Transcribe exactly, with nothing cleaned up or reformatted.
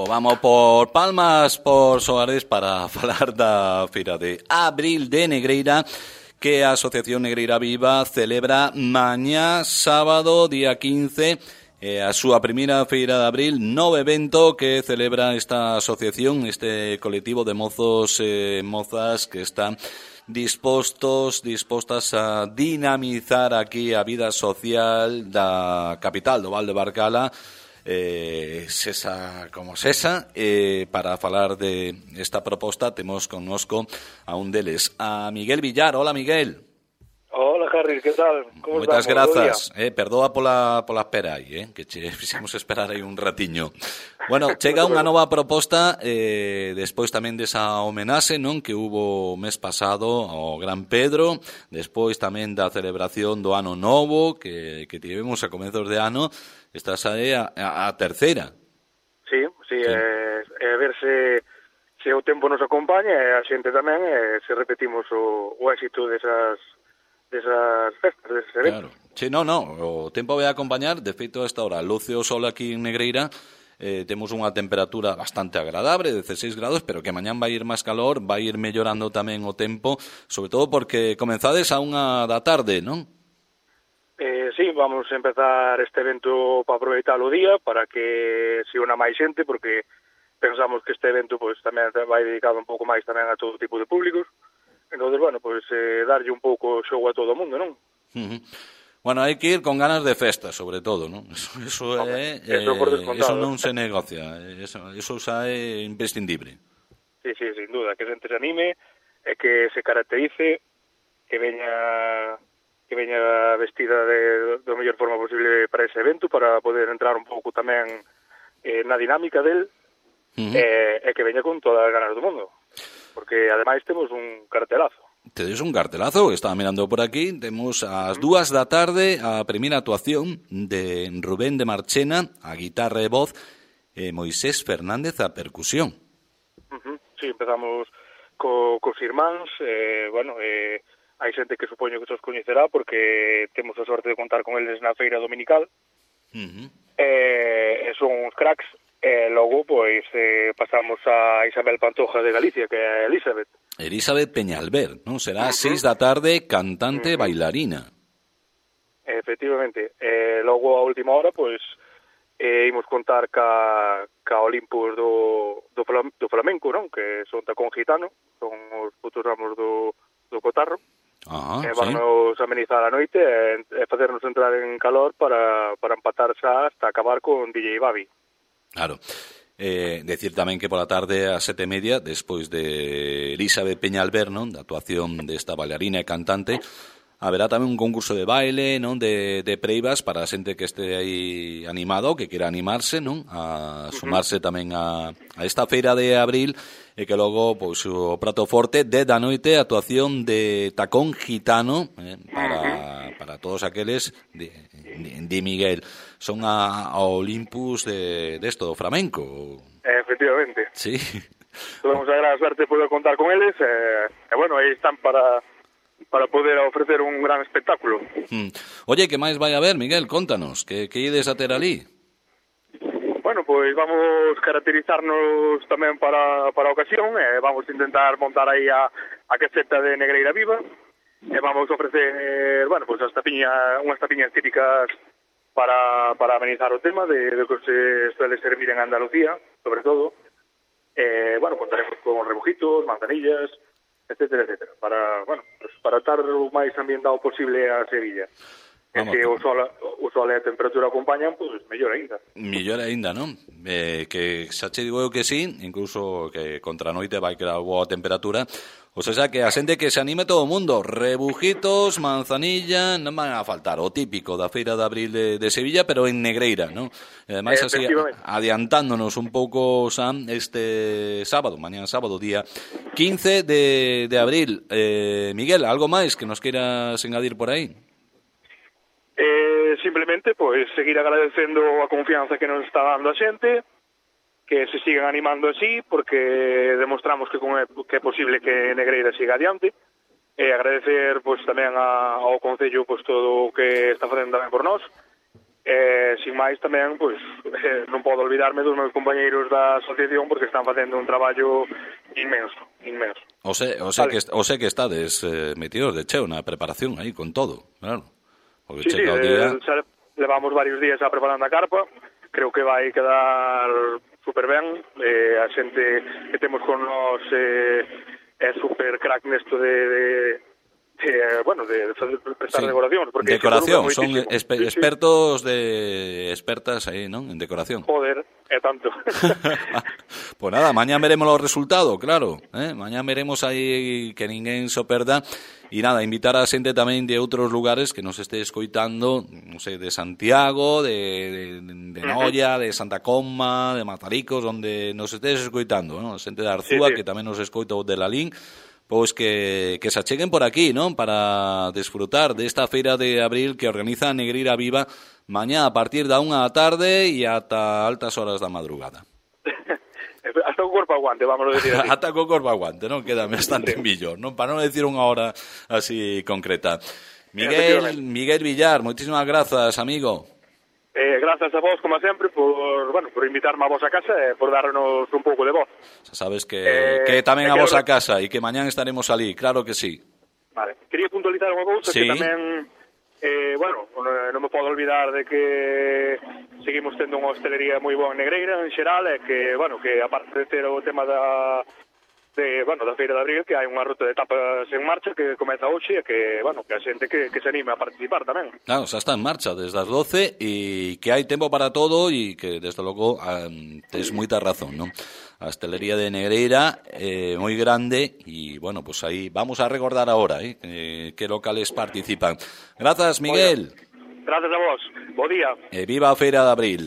vamos por Palmas, por Soares, para falar da Feira de Abril de Negreira, que a Asociación Negreira Viva celebra mañá, sábado, día quince, eh, a súa primeira Feira de Abril, novo evento que celebra esta asociación, este colectivo de mozos e eh, mozas que están dispostos, dispostas a dinamizar aquí a vida social da capital do Val de Barcala, eh, sesa como sesa, eh, para falar de esta proposta temos connosco a un deles, a Miguel Villar. Hola, Miguel. Hola, Harry, que tal? Como Moitas grazas, eh, perdoa pola, pola espera aí, eh, que che fixemos esperar aí un ratiño. Bueno, chega unha nova proposta, eh, despois tamén desa homenaxe, non, que hubo o mes pasado ao Gran Pedro, despois tamén da celebración do Ano Novo, que, que tivemos a comezos de ano. Estás aí a, a, a terceira. Sí, sí, sí. É, é ver se, se o tempo nos acompaña e a xente tamén, e se repetimos o, o éxito desas, desas festas, deses eventos. Claro. Sí, no, no, o tempo vai a acompañar. De feito, a esta hora luce o sol aquí en Negreira, eh, temos unha temperatura bastante agradable, dezasseis grados, pero que mañán vai ir máis calor, vai ir mellorando tamén o tempo, sobre todo porque comenzades a unha da tarde, non? Eh, sí, vamos a empezar este evento para aproveitar o día, para que se una máis xente, porque pensamos que este evento pues tamén vai dedicado un pouco máis tamén a todo tipo de públicos. Entonces, bueno, pues eh, darlle un pouco show a todo o mundo, non? Uh-huh. Bueno, hai que ir con ganas de festa, sobre todo, non? Eso, eso, Hombre, é, eso, eh, eso non se negocia, eso, eso xa é imprescindible. Sí, sí, sin duda, que a xente se anime, e que se caracterice, que veña... que veña vestida de, de mellor forma posible para ese evento, para poder entrar un pouco tamén eh, na dinámica del, uh-huh. e, e que veña con todas as ganas do mundo, porque ademais temos un cartelazo. Tedes un cartelazo, estaba mirando por aquí, temos ás dúas da tarde a primeira actuación de Rubén de Marchena, a guitarra e voz, e Moisés Fernández a percusión. Uh-huh. Sí, empezamos co, cos irmáns, eh, bueno, eh, hai xente que supoño que os coñecerá porque temos a sorte de contar con eles na feira dominical. Uh-huh. E, e son uns cracks. E logo, pois, eh, pasamos a Isabel Pantoja de Galicia, que é Elizabeth. Elizabeth Peñalver, non? Será a seis da tarde, cantante, uh-huh. bailarina. Efectivamente. E logo, a última hora, pois, eh, imos contar ca, ca Olimpos do, do, do flamenco, non? Que son tacón gitano, son os putos ramos do, do cotarro. Ah, e vamos sí. amenizar a noite e, e facernos entrar en calor para, para empatar xa hasta acabar con D J Babi. Claro. Eh, decir tamén que pola tarde a sete e media, despois de Elizabeth Peñalver, non, da actuación desta bailarina e cantante, haberá tamén un concurso de baile, non, de, de preivas para a xente que este aí animado, que quera animarse, non, a sumarse uh-huh. tamén a, a esta feira de abril, e que logo, pois, o prato forte de da noite, actuación de tacón gitano, eh, para, para todos aqueles de, de, de Miguel. Son a, a Olympus de, de esto, do flamenco. Efectivamente. Sí. Tuvemos a gran suerte de poder contar con eles, e, e bueno, aí están para... para poder ofrecer un gran espectáculo. Hmm. Oye, que máis vai a haber, Miguel? Contanos, que, que ides a ter ali? Bueno, pois vamos caracterizarnos tamén para, para a ocasión, e vamos a intentar montar aí a, a caseta de Negreira Viva, e vamos a ofrecer, bueno, pois as tapiñas, unhas tapiñas típicas para, para amenizar o tema de, de que se suele servir en Andalucía, sobre todo. E, bueno, contaremos con rebujitos, manzanillas, etcétera, etcétera, para, bueno, pues para estar o máis ambientado posible a Sevilla. E se o sol, o sol e a temperatura acompañan, pois pues, mellor aínda. Mellor aínda, non? Eh, que xa che digo eu que sí, incluso que contra a noite vai quedar boa temperatura. O sea, que a xente que se anime todo o mundo, rebujitos, manzanilla, non van a faltar, o típico da Feira de Abril de, de Sevilla, pero en Negreira, non? E ademais, así, adiantándonos un pouco, Sam, este sábado, mañana sábado, día quince de, de abril. Eh, Miguel, algo máis que nos queiras engadir por aí? Eh, simplemente, pois, seguir agradecendo a confianza que nos está dando a xente, que se sigan animando así, porque demostramos que, con, que é posible que Negreira siga adiante, e agradecer, pois, tamén a, ao Concello, pois, todo o que está facendo tamén por nós, Eh, sin máis tamén, pois, eh, non podo olvidarme dos meus compañeiros da asociación porque están facendo un traballo inmenso, inmenso. O sé, o sé, vale. que, o sé que estades eh, metidos de cheo na preparación aí con todo, claro. Porque sí, sí, día... eh, levamos varios días a preparando a carpa, creo que vai quedar super ben, eh, a xente que temos con nós eh, é super crack nesto de... de Eh, bueno, de, de prestar sí. decoración porque decoración, son espe- expertos de expertas aí, ¿no? En decoración. Joder, é tanto. Pues nada, mañá veremos os resultados, claro, eh? Mañá veremos aí que ninguén se perda. E nada, invitar a xente tamén de outros lugares que nos este escoitando, non sei, de Santiago, de, de, de Noia, de Santa Comma, de Mazaricos, onde nos estés escoitando, ¿no? Xente de Arzúa, sí, sí. Que tamén nos escoita de Lalín. Pois que, que se acheguen por aquí, non? Para desfrutar desta feira de abril que organiza Negreira Viva mañá a partir da unha da tarde e ata altas horas da madrugada. Hasta o corpo aguante, vamos a decir así. Hasta o corpo aguante, non? Queda bastante sí. millor, non? Para non decir unha hora así concreta. Miguel, Miguel Villar, moitísimas grazas, amigo. Eh, grazas a vos, como sempre, por, bueno, por invitarme a vos a casa e por darnos un pouco de voz. Xa sabes que, eh, que tamén a vos a casa e que mañán estaremos ali, claro que sí. Vale, quería puntualizar unha cousa, sí. Que tamén, eh, bueno, non me podo olvidar de que seguimos tendo unha hostelería moi boa en Negreira, en xeral, e que, bueno, que aparte de ter o tema da... de, bueno, da Feira de Abril, que hai unha ruta de tapas en marcha que comeza hoxe e que, bueno, que a xente que, que se anime a participar tamén. Claro, xa está en marcha desde as doce e que hai tempo para todo e que, desde logo, um, tes moita razón, non? A hostelería de Negreira é eh, moi grande e, bueno, pues aí vamos a recordar agora eh, que, que locales participan. Grazas, Miguel. Gracias a vos. Bo día. E viva a Feira de Abril.